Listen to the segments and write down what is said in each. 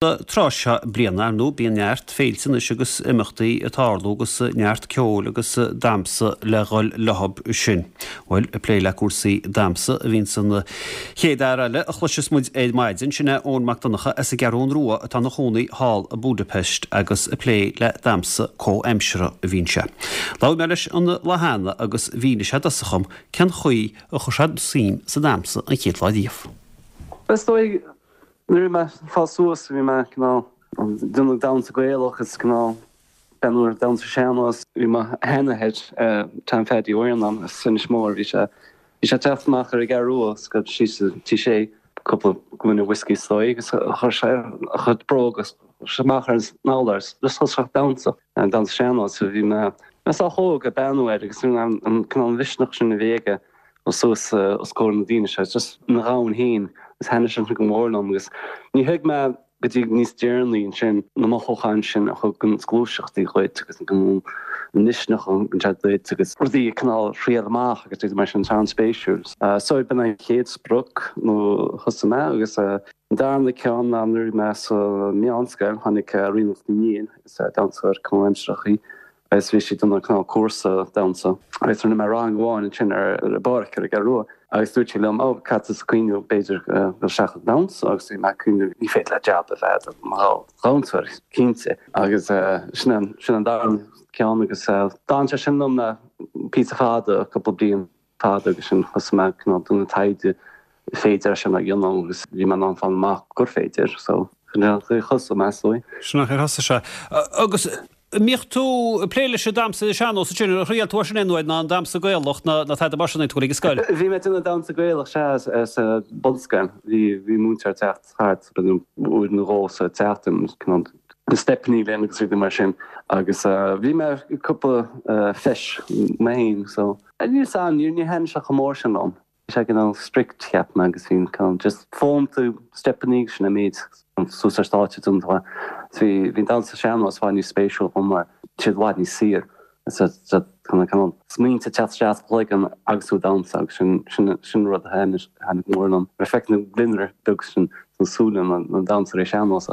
Tráth seo bliana, ar ndóigh, bíonn neart féilte anois agus imeachtaí ag tarlú agus neart ceoil agus damhsa le dhul leothab sin. Bhuel, ag plé le cúrsaí damhsa a bhíonns an chéad fhear eile a chloiseas muid ar maidin, sin é Eoin Mac Donncha as an gCeathrún Rua atá ina chónaí thall i Budapest agus ag plé le damhsa comhaimseartha a bhíonn sé. Labhair mé leis an lá cheana agus mhínigh sé i dtosach dhom cén chaoi a chuir sé suim sa damhsa an chéad lá riamh. Is dóigh Nuair a bhí mé ag fás suas bhí mé cineál déanamh damhsa Gaelach is cineál breathnú ar damhsa sean-nós. Bhí mo sheanathair Tom Pheaidí Ó Iarnáin as Inis Mór, bhí sé bhí sé ag teacht amach ar an gCeathrú Rua agus go síos sa Tí Sé cúpla gloine whiskey is dóigh agus chuir sé a chuid bróga amach ar an urlár is just thosaigh sé ag damhsa, damhsa sean-nós. Bhí mé mé sách óg ag breathnú air agus an cineál mhisneach sin a bhí aige suas os comhair na daoine seo, just ina dhomhan féin agus thaitnigh sé sin go mór liom agus ní thuig mé go dtí níos deireanaí ansin na mothúcháin sin a thugann gluaiseachtaí dhuit agus an misneach a thugann sé duit agus rudaí a cineál thriail amach agus rudaí mar sin, tá an-spéisiúil. So b'in an chéad sprioc nó thosaigh mé agus an darna ceann ná nuair a bhí mé sa meánscoil tháinig Ríonach Ní Niain, is damhsóir comhaimsearach í, Agus bhí sí ag déanamh cineál cúrsa damhsa agus rinne mé rang amháin ansin ar an bpáirc ar an gCeathrú Rua agus dúirt sí liom, 'Ó, caithfidh tusa cuimhniú b'fhéidir dul isteach ag damhsa' agus bhí mé ag cuimhniú ní féidir le jab a bheith agat mar dhamhsóir, cinnte. Agus sin an sin an darna ceann agus d'fhan sé sin liom le píosa fada, cúpla bliain. fada agus sin thosaigh mé cineál déanamh taighde féidir é sin a dhéanamh agus bhí mé in ann fáil amach gur féidir so sin é an chaoi a thosaigh mé is dóigh. Sin an chaoi ar thosaigh sé. Agus an mbíodh tú ag plé leis an damhsa sean-nós ansin, ar thriail tú é sin aon uair ná an damhsa Gaelach ná tada mar sin ag tú ag an scoil? Bhí mé ag déanamh damhsa Gaelach sea sa bunscoil. Bhí bhí múinteoir ag teacht thart b'fhéidir uair nó dhó sa tseachtain cineál na steipeanna linn agus rudaí mar sin agus bhí mé cúpla feis mé féin so Níl 's a'm, níor thaitin sé chomh mór sin liom. Bhí sé cineál strict, cheap mé, agus bhí cineál just foghlaim tú steipeanna agus sin an méid suas ar stáitse don tráth. So bhí, bhí an damhsa sean-nós i bhfad níos spéisiúil dhom mar tá siad i bhfad níos saor. So, so kind of cineál smaointe ag teacht isteach sa chloigeann agus tú ag damhsa agus sin, sin, sin rud a thaitnigh, thaitnigh go mór liom. Nuair a feicim na gliondar beag sin sna súile na, na damhsóirí sean-nós,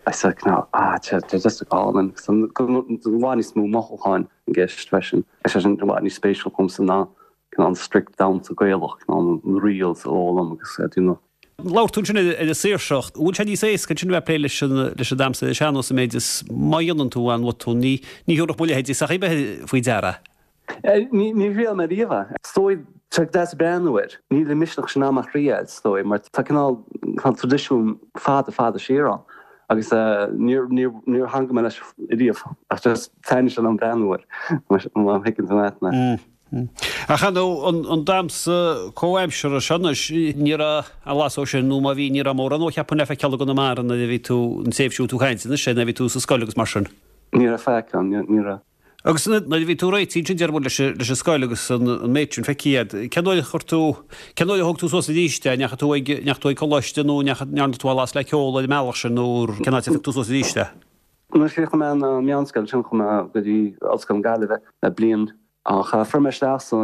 I said cineál ah, tá, tá just go hálainn. So, go, i bhfad níos mó mothúcháin i gceist freisin. Is é sin i bhfad níos spéisiúil dhomsa ná cineál an strict damhsa Gaelach, cineál na reels a fhoghlaim agus a déanamh. Labhair tú ansin ar an saoirseacht. An bhfuil sé níos éasca ansin a bheith ag plé leis an leis an damhsa ar an sean-nós an méid is má dhéanann tú an-bhotún, ní ní thabharfadh mo leithéidí sac ar bith faoi deara. Ní ní thriail mé riamh é. Is dóigh, tá sé deas breathnú air. Níl an misneach sin a'm a thriail, is dóigh, mar tá cineál cineál traidisiún fada fada siar ann. Agus níor, níor, níor theangaigh mé leis riamh, ach just taitníonn sé liom breathnú air, má thuigeann tú leat mé. Ach ar ndóigh, an, an damhsa comhaimseartha seo anois, ní raibh a bhlas ó sin, nó má bhí, ní raibh mórán ó cheapfainn le feiceáil i gConamara nuair a bhí tú, an tréimhse a bhfuil tú ag caint anois, nuair a bhí tú sa scoil agus mar sin. Ní raibh faic ann, ní, ní raibh. Agus nuair a bhí tú réitithe ansin, deir muid, leis an scoil agus an méid sin feicthe agat, cén uair a chuir tú, cén uair a thóg tú suas arís é? Ndeachaigh tú ag, ndeachaigh tú ag coláiste nó ndeachaigh, ndearna tú a bhlas le ceol ar an mbealach sin nó cén áit ar phioc tú suas arís é? Nuair a chríochnaigh mé an meánscoil ansin chuaigh mé go dtí Ollscoil na Gaillimhe le bliain ach fuair mé isteach sa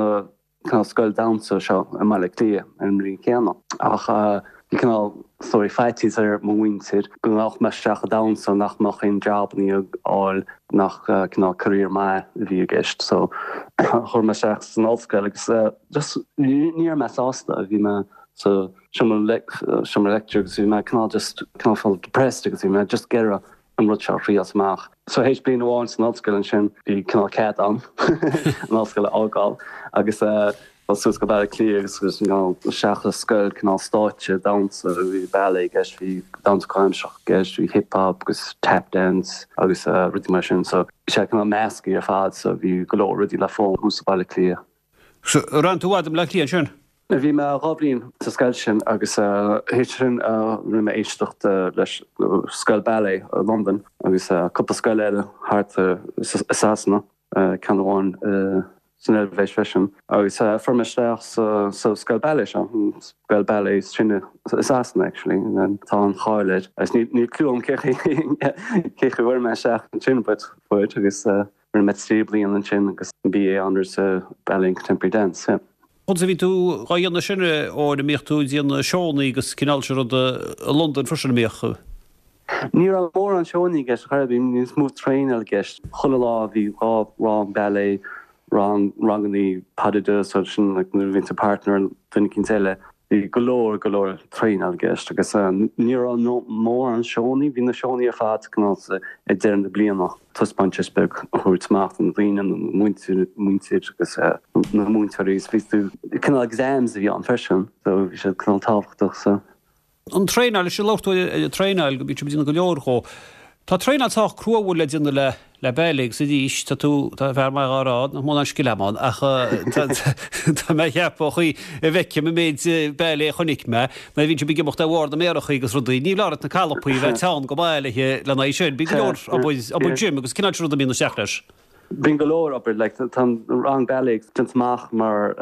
cineál scoil damhsa seo i mBaile Átha Cliath ar an mbliain chéanna. Ach bhí cineál sórt faitíos ar mo mhuintir go ngabhfadh mé isteach i damhsa nach mbeadh aon jabannaí a fháil, nach cineál career maith a bhí i gceist. So chuaigh mé isteach san ollscoil agus just ní raibh mé sásta. Bhí mé sa seomra seomra lecture agus bhí mé cineál just cineál felt depressed agus bhí mé just ag iarraidh an rud seo a thriail amach. So théis bliain amháin san ollscoil ansin bhí cineál cead a'm an ollscoil a fhágáil agus dul suas go Baile Átha Cliath agus agus cineál isteach i scoil cineál stáitse damhsa, bhí ballet i gceist, bhí damhsa comhaimseartha i gceist, bhí hip hop agus tap dance agus rudaí mar sin. So bhí sé cineál measctha ar fad so bhí go leor rudaí le foghlaim thuas i Baile Átha Cliath. So ar fhan tú i bhfad i mBleá Cliath ansin? Bhí mé 2 bhliain sa scoil sin agus théis sin rinne mé éisteacht leis scoil ballet i Londain agus cúpla scoil eile thart i Sasana, ceann amháin san Eilvéis freisin. Agus fuair mé isteach sa scoil ballet seo, an scoil ballet is sine i Sasana actually, tá an-cháil air. Agus níl clue agam cé chaoi a bhfuair mé isteach ansin but fuair agus Rinne mé 3 bliana ansin agus BA Honours sa Ballet and Contemporary Dance, yeah. Conas a bhí tú dhá dhéanamh sin, Eoin, an mbíodh tú ag déanamh seónna agus cineál sin ruda i Londain freisin, an mbíodh? Ní raibh mórán seónna i gceist, chor ar bith, bhí níos mó traenáil i gceist. Chuile lá bhí 2 rang ballet, rang, rangannaí pas de deux, so sin like nuair a bhíonn tú partner duine eicínt eile. Bhí go leor, go leor traenáil i gceist agus ní raibh mórán seónna, bhí na seónna ar fad cineál ag deireadh na bliana, taispeántas beag a thabhairt amach do na daoine, na múinteoirí agus na múinteoirí is bhí tú, cineál exams a bhí ann freisin so bhí sé cineál tábhachtach so. An traenáil, is labhair tú ar an traenáil go mbíonn sibh ag déanamh go leor dhó. Tá traenáil sách crua an bhfuil le déanamh le le ballet agus arís tá tú, tá fear maith dhá rá nach mó ná an scil agam ann ach tá tá mé ag ceapadh an chaoi a bhfeicim an méid ballet a chonaic mé nuair a bhíonn sibh ag imeacht ar bharr na méarachaí agus rudaí, ní leor na calapaí a bheith teann go maith le lena aghaidh sin. Bíonn go leor obair obair gym agus cineál sin rud a mbíonn isteach leis. Bíonn go leor obair, like, tá an rang ballet déanta amach mar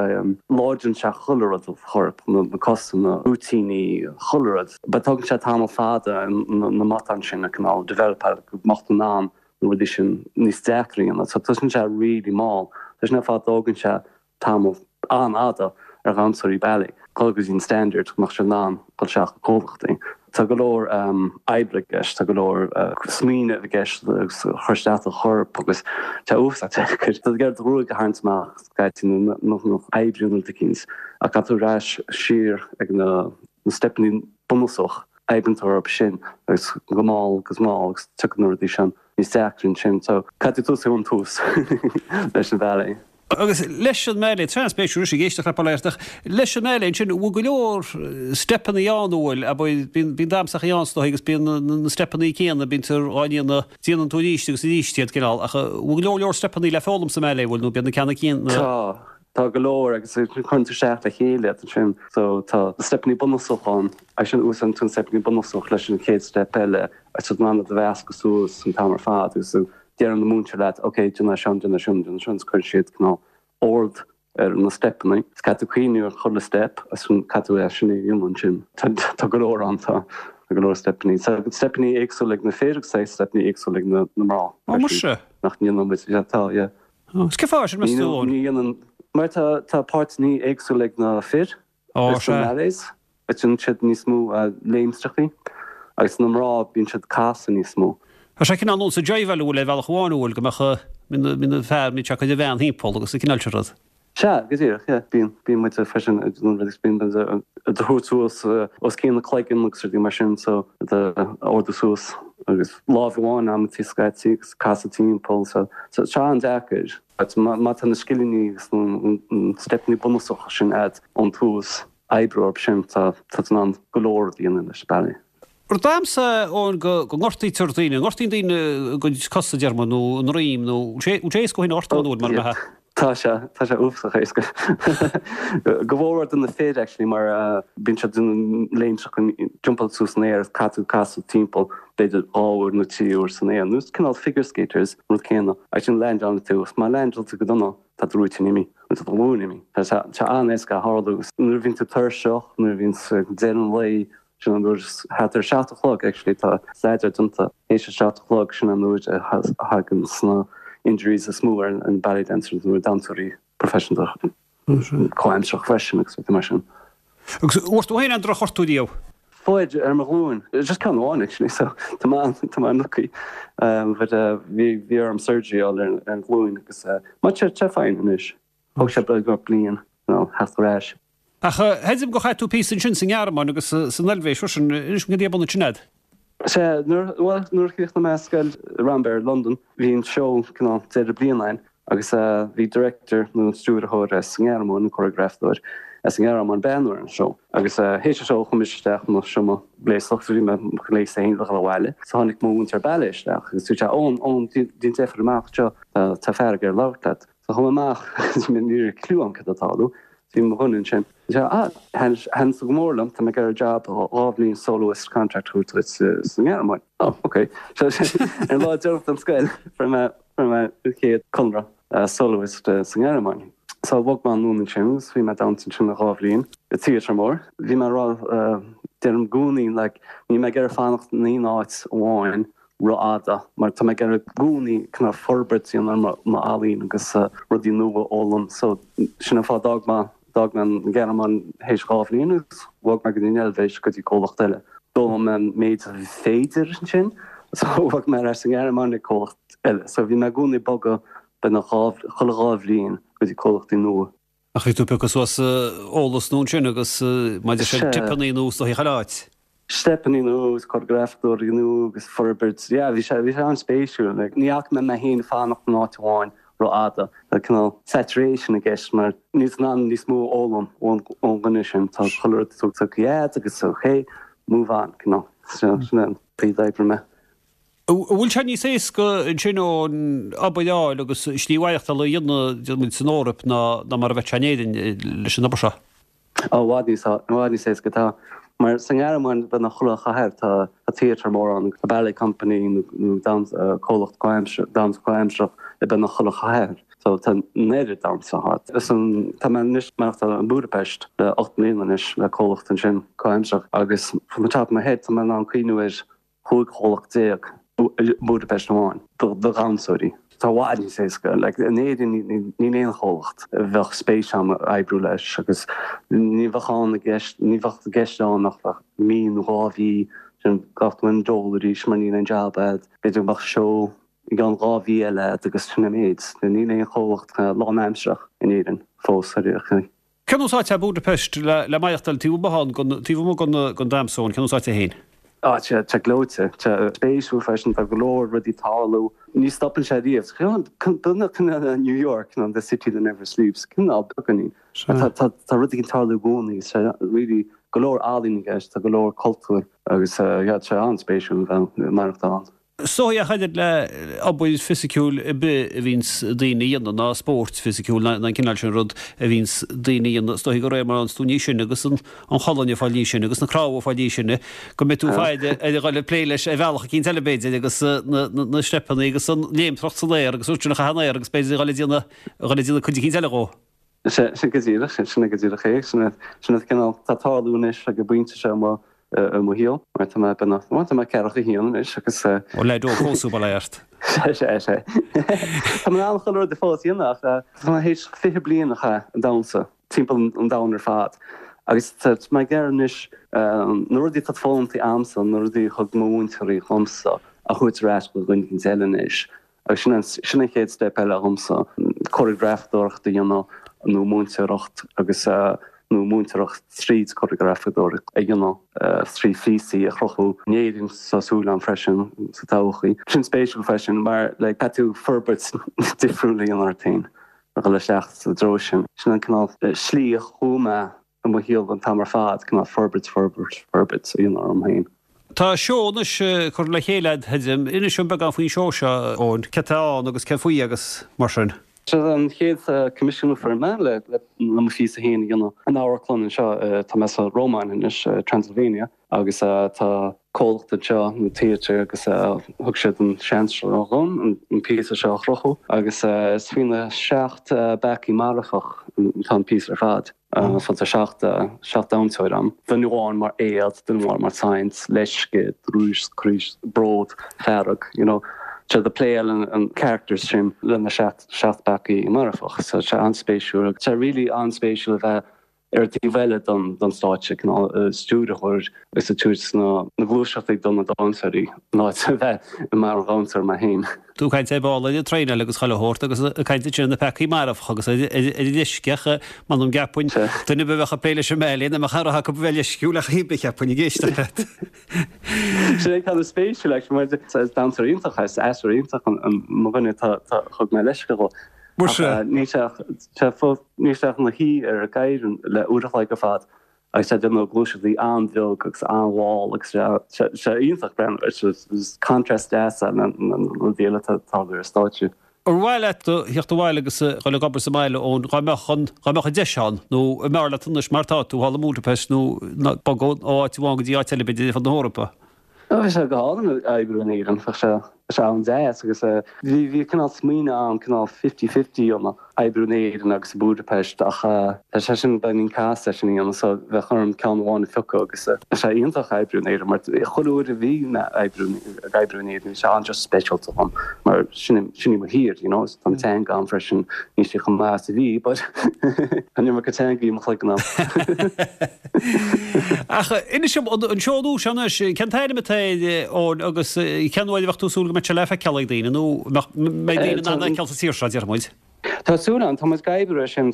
láidríonn sé chuile rud sa chorp, na cosa, na rúitíní, chuile rud. But tógann sé tamall fada na matáin sin a cineál developáil go mbeadh tú in ann na rudaí sin níos deacra a dhéanamh. So tosaíonn sé really mall. Tá sin ar fad tógann sé tamall an-fhada ar dhamhsóirí ballet dul go dtí an standard go mbeadh siad in ann dul isteach i comhlachtaí. Tá go leor oibre i gceist, tá go leor smaoineamh i gceist agus cur isteach do chorp agus tá uafásach deacair. Tá tú ag iarraidh do ghruaig a tharraingt amach scaití nó nach oibríonn rud eicínt ach caithfidh tú ar ais siar ag na steipeanna bunúsach, oibríonn tú orthu sin agus go mall agus mall agus tiocfaidh na rudaí sin níos deacra ansin. So caithfidh tú tosú ón tús leis an ballet. Agus leis an mballet, tá an-spéisiúil ag éisteacht le Paul ach leis an mballet ansin, bhfuil go leor steipeanna ann, an bhfuil, abair, bíonn, bíonn damhsachaí ann is dóigh agus bíonn na, na steipeanna céanna, bíonn á ndéanamh, déanann tú arís agus arís iad cineál, ach bhfuil go leor leor steipeanna le foghlaim sa mballet, bhfuil, nó bíonn na ceanna céanna? Tá, tá go leor agus cuireann tú isteach le chéile iad ansin, so tá steipeanna bunúsach ann, agus sin úsáideann tú an steipeanna bunúsach leis an chéad steip eile agus tá tú in ann iad a mheascadh suas an t-am ar fad agus Deireann na múinteoir leat, ok, déan é seo, déan é sin, déan é sin, agus cuireann siad cineál ord ar na steipeanna. Is caithfidh tú cuimhniú ar chuile steip agus caithfidh tú é sin a dhéanamh ansin. Tá go leor ann, tá go leor steipeanna. Tá steipeanna éagsúla ag na fir agus tá steipeanna éagsúla ag na mná. Ó, muise! Nach ndéanann muid, yeah, tá, yeah. Is cén fáth sin, meas tú, Eoin? Ní dhéanann, mar tá tá páirteanna éagsúla ag na fir. Ó, Is na sea. ballets, déanann siad níos mó léimstreachaí agus na mná bíonn siad casadh níos mó. Tá sé cineál nós an jive-áil an bhfuil ar bhealach amháin an bhfuil go mbeadh bíonn na fear bíonn sé ag cur an bhean thimpeall agus an cineál sin rud. Sea, go díreach, yeah. Bíonn, bíonn muid freisin ag déanamh rudaí, bíonn muid ag tabhairt suas os cionn na cloigeann agus rudaí mar sin so ag ardú suas agus lámh amháin amantaí scaití agus casadh timpeall so tá sé an-deacair. Má tá na scileanna agus na steipeanna bunúsacha sin agat ón tús, oibriú orthu sin, tá tú in ann go leor a dhéanamh leis an ballet. Rud damhsa, Eoin, go ngortaítear daoine, ngortaíonn daoine a gcuid cosa, déarfaidh muid, nó a ndroim, nó bhfuil sé éasca thú féin a ghortú, an bhfuil, mar a mbeadh? Tá sé, tá sé uafásach éasca. Go mhór do na fir actually mar bíonn siad ag déanamh léimstreacha, jumpáil suas san aer, caithfidh tú casadh timpeall b'fhéidir 2 uair nó 3 uair san aer, nó cineál figure skaters, an rud céanna. Ansin leaindeálann tú, agus má leaindeálann tú go dona, tá do rúitín imithe, nó tá do ghlúin imithe. Tá sé an-éasca a tharlú. Nuair a bhíonn tú tuirseach, nuair a bhíonn deireadh an lae, Sin an uair, thart ar a 7 a chlog actually, tá staidéar déanta, théis a 7 a chlog, sin an uair a thagann na injuries is mó ar an ballet dancers nó ar damhsóirí proifisiúnta comhaimseartha freisin agus rudaí mar sin. Agus bhfuair tú féin aon drochghortú riamh? Fuair, ar mo ghlúin. Just ceann amháin actually so tá mé tá mé an-lucky. But bhí bhí orm surgery a fháil ar an ghlúin agus tá sé fine anois. Thóg sé beagnach bliain you know theacht ar ais. Ach chreidim gur chaith tú píosa ansin sa nGearmáin agus san Eilvéis freisin. Inis dom cad é a bun ansin a'd. Sea, nuair, bhuel, nuair a chríochnaigh mé scoil Rambert i Londain, bhí an seó cineál deireadh bliana ann agus bhí director nó an stiúrthóir as an nGearmáin, an choreografadóir as an nGearmáin breathnú ar an seó. Agus théis an seó chuaigh mise isteach i mo seomra gléasadh, bhí mé mo ghléasadh féin le dhul abhaile. So tháinig mo mhúinteoir ballet isteach agus dúirt sé, Eoin, Eoin, déan deifir amach anseo, tá fear ag iarraidh labhairt leat. So chuaigh mé amach agus ní raibh cliú agam cad atá ag tarlú. Bhí mo dhuine ansin. Dúirt sé, ah, thaitin tú go mór liom, tá mé ag iarraidh job 2 bhliain soloist contract a thabhairt duit sa nGearmáin. Oh, ok. So ar an lá deireanach den scoil fuair mé fuair mé an chéad conradh soloist sa nGearmáin. So bhog mé anonn ansin agus bhí mé ag damhsa ansin 2 bhliain i theatre mór. Bhí mé ag rá deirim i gcónaí like níl mé ag iarraidh fanacht in aon áit amháin rófhada mar tá mé ag iarraidh i gcónaí cineál forbairt a dhéanamh ar m'ealaín agus rudaí nua a fhoghlaim so sin an fáth d'fhág mé d'fhág mé an Ghearmáin théis 2 bhliain agus bhog mé go dtí an Eilvéis go dtí comhlacht eile. D'fhoghlaim mé an méid a bhí féidir ansin so bhog mé ar ais sa nGearmáin ag comhlacht eile. So bhí mé i gcónaí ag bogadh beagnach dhá, chuile dhá bhliain go dtí comhlachtaí nua. Ach bhí tú ag piocadh suas eolas nua ansin agus maidir le steipeannaí nua is dóichí chuile áit. Steipeannaí nua agus coireagrafadóirí nua agus forbairt, yeah bhí sé, bhí sé an-spéisiúil. Like ní fhaca mé mé féin fanacht in áit amháin rófhada. Tá cineál saturation i gceist mar níl tú in ann níos mó a fhoghlaim ón dhuine sin. Tá chuile rud tugtha agat agus ok, move on, cineál. So sin an chaoi a d'oibrigh mé. An bhfuil sé níos éasca ansin ón obair a fháil agus slí mhaireachtála a dhéanamh, déarfaidh muid, san Eoraip ná mar a bheadh sé in Éirinn leis an obair seo? Ó, i bhfad níos, i bhfad níos éasca. Tá, mar sa nGearmáin, beagnach chuile chathair tá theatre mór ann, tá ballet company nó damhsa, comhlacht comhaimsearach, damhsa comhaimsearach i beagnach chuile chathair. So tá an oiread damhsa thart. Is an, tá mé anois ag maireachtáil i mBudapest le 8 mbliana anois le comhlacht ansin comhaimsearach agus from the top of my head tá mé in ann cuimhniú ar 15 chomhlacht i mBudapest amháin do dhamhsóirí. Tá i bhfad níos éasca. Like, in Éirinn níl aon chomhlacht a bheadh spéis agam oibriú leis agus ní bheadh ann i gceist, ní bheadh i gceist ann ach bheadh mí nó dhá mhí sin gach duine dól arís mar níl aon jab agat. B'fhéidir go mbeadh seó i gceann dhá mhí eile agat agus sin an méid. Níl aon chomhlacht lánaimsearach in Éirinn fós ar aon chaoi. Cén nós áit é Budapest le maireachtáil taobh amuigh ann gon, taobh amuigh gon, gon damhsa, cén nós áit é féin? Tá sé gleoite, tá spéisiúil freisin, tá go leor rudaí ag tarlú, ní stopann sé riamh. Beagnach cineál New York, you know, the city that never sleeps, cineál beagáinín. Tá, tá, tá rudaí ag tarlú i gcónaí, tá really go leor ealaín i gceist, tá go leor cultúr agus yeah, tá sé an-spéisiúil a bheith ag maireachtáil ann. Is dóigh ach oiread le obair fisiciúil ar bith a bhíonns daoine a dhéanamh, ná spórt fisiciúil ná an cineál sin rud a bhíonns daoine a dhéanamh, is dóigh de réir mar a fhánns tú níos sine agus an cholainn ag fáil níos sine agus na cnámha ag fáil níos sine, go mbeidh tú ag faire ar a dhul ag plé leis ar bhealach eicínt eile b'fhéidir agus na steipeanna agus an léimtreacht san aer agus rud sin a chaitheamh in aer agus b'fhéidir a dhul ag déanamh a dhul ag déanamh cuid eicínt eile dhó. Sin go díreach, sin go díreach é. Sin an cineál atá ag tarlú anois ag an bpointe seo i mo shaol, mar tá mé beagnach, bhuel, tá mé ceathracha haon anois agus. Ó leaid óg fós thú, bail ó Dhia ort. Sea, sea, sea. Tá mé in ann chuile rud fós a dhéanamh ach tá mé théis 20 bliain a chaitheamh ag damhsa timpeall an domhain ar fad agus tá mé ag iarraidh anois na rudaí atá foghlamtha a'msa, na rudaí a thug mo mhúinteoirí dhomsa a thabhairt ar ais do dhuine éicint eile anois. Agus sin an, sin an chéad step eile dhomsa, cóireagrafadóireacht a dhéanamh nó múinteoireacht agus, nó múinteoireacht tríd cóireagrafadóireacht a dhéanamh, trí phíosaí a chruthú in Éirinn, tá súil agam freisin sa todhchaí. Sin spéisiúil freisin mar like caithfidh tú forbairt difriúil a dhéanamh ort féin a dhul isteach sa dtreo sin. Sin an cineál slí a chuaigh mé i mo shaol an t-am ar fad, cineál forbairt, forbairt, forbairt a dhéanamh orm féin. Tá seó anois curtha le chéile a'd, tuigim. Inis dom beagán faoin seó seo, Eoin. Céard atá ann agus cén faoi agus mar sin. Seo an chéad coimisiún a fuair mé le mo phíosa féin a dhéanamh in amharclann anseo. Tá mé sa Rómáin anois, Transylvania, agus tá comhlacht anseo, nó theatre, agus thug siad an seans seo dhom an píosa seo a chruthú agus is faoi na seacht bpeacaí marfach atá an píosa ar fad. So tá 7 damhsóir ann. Duine amháin mar éad, duine amháin mar saint, leisce, drúis, craos, bród, fearg, you know. Tá siad ag playáil an characters sin le na 7 bpeacaí marfach. So tá sé an-spéisiúil. Tá sé really an-spéisiúil a bheith ar an taobh eile den stáitse, cineál stiúrthóir agus ag tabhairt na gluaiseachtaí do na damhsóirí, in áit a bheith mar dhamhsóir mé féin. Tú ag caint ar ball ar an traenáil agus chuile shórt agus ag caint ansin ar na peacaí marfacha agus ar an leisce ach m'anam gceapfainn duine ar bith a bheadh ag plé leis an mbailé nach mbeadh aon rogha acu a bheith leisciúil ach chaoi ar bith cheapfainn ag éisteacht leat. Sin é kind of spéisiúil actually mar is damhsóir iontach é, is aisteoir iontach an mo dhuine tá thug mé leisce dhó. Muise. Níl sé ach níl sé ach ina shuí ar an gcathaoir le uair a chloig ar fad Agus tá déanamh gluaiseachtaí an-bheag agus an-mhall agus tá sé iontach breathnú air. Is contrast deas é le na rudaí eile atá ag tarlú ar stáitse. Ar mhaith leat a theacht abhaile agus a dhul ag obair sa mbaile Eoin, dá mbeadh an, dá mbeadh an deis ann, nó an mb'fhearr leat anois mar atá tú, thall i mBudapest nó bogadh ó áit amháin go dtí áit eile b'fhéidir ar fud na hEorpa? Bheadh sé go hálainn oibriú in Éirinn, bheadh sé. Tá sé an-deas agus bhí bhí cineál smaoineamh ann cineál fifty fifty you know oibriú in Éirinn agus i Budapest ach tá sé sin beagáinín casta é sin a dhéanamh so bheadh orm ceann amháin a phiocadh agus tá sé iontach oibriú in Éirinn mar chuile uair a bhí mé oibriú ag oibriú in Éirinn bhí sé an-just speisialta dhom mar sin sin í mo thír you know tá an teanga agam freisin níl sí chomh maith is a bhí but tá an iomarca teanga i mo chloigeann agam. Ach inis dom, an seó nua seo anois, cén t-ainm atá air, Eoin, agus cén uair a bheadh tú ag súil go mbeadh sé le feiceáil ag daoine, nó mbeidh daoine in ann é a fheiceáil sa tír seo, déarfaidh muid? Tá súil agam, tá muid ag oibriú air sin.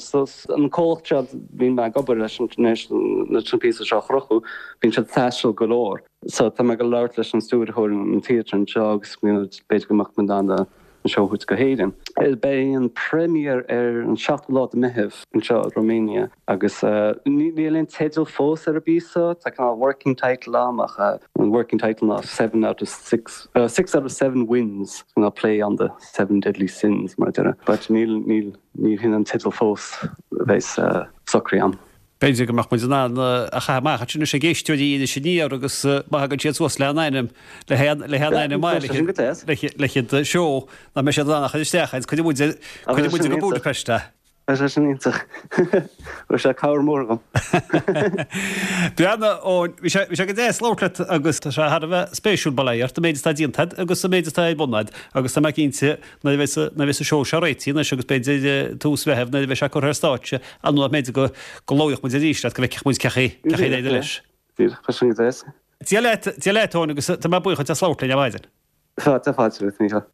An comhlacht seo a bhíonn mé ag obair leis anois, leis an píosa seo a chruthú, bíonn siad ag taisteal go leor. So tá mé ag labhairt leis an stiúrthóir an theatre anseo agus b'fhéidir go mbeadh muid in ann an seó a thabhairt go hÉirinn. Beidh an premiere ar an 7ú lá de Meitheamh anseo i Romania agus níl aon teideal fós ar an bpíosa, tá cineál working title ann ach an working title ná Seven out of six, six out of seven wins, cineál play on the seven deadly sins mar a déarfá. But níl, níl, níl sin an teideal fós a bheas socraithe agam. B'fhéidir go mbeadh muid in ann a chaitheamh amach ansin anois ag éisteoirí Iris Aniar agus má thagann siad suas le haon ainm, le haon, le haon ainm maith le le haghaidh seó, nach mbeidh siad in ann a chur isteach agus cuirfidh muid, cuirfidh muid go Budapest é. Bheadh sé sin iontach. Bheadh sé cabhair mór agam. Breathnaigh, Eoin, bhí sé, bhí sé go deas labhairt leat agus tá sé thar a bheith spéisiúil, bail ó Dhia ort, an méid atá déanta agat agus an méid atá ar bun agat agus tá mé cinnte nuair a bheas, nuair a bheas an seó seo réitithe anois agus b'fhéidir tús Mheithimh nuair a bheidh sé curtha ar stáitse, ar ndóigh b'fhéidir go, go labhródh muid arís leat go bhfeicfeadh muid cé chaoi, cé chaoi ar éirigh leis. Díreach, tá sin go deas. Dia leat, Dia leat Eoin agus tá mé buíoch duit as labhairt linn ar maidin. Tá, tá fáilte romhat, Mícheál.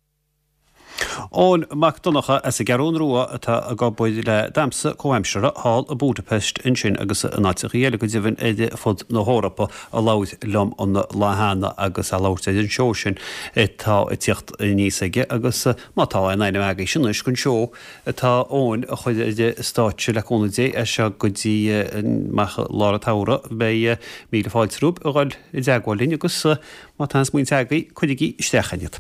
Eoin Mac Donncha as an gCeathrún Rua atá ag obair le damhsa comhaimseartha thall i Budapest ansin agus in áiteachaí eile go deimhin ar fud na hEorpa a labhair liom an lá cheana agus é ag labhairt ar an seó sin atá ag tíocht aníos aige agus má tá aon ainm agaibhse anois don seó atá Eoin a chur ar stáitse le cúnamh Dé as seo go dtí amach i lár an tsamhraidh beidh míle fáilte romhaibh a dhul i dteagmháil linn agus má tá aon smaointe agaibh cuirigí isteach iad.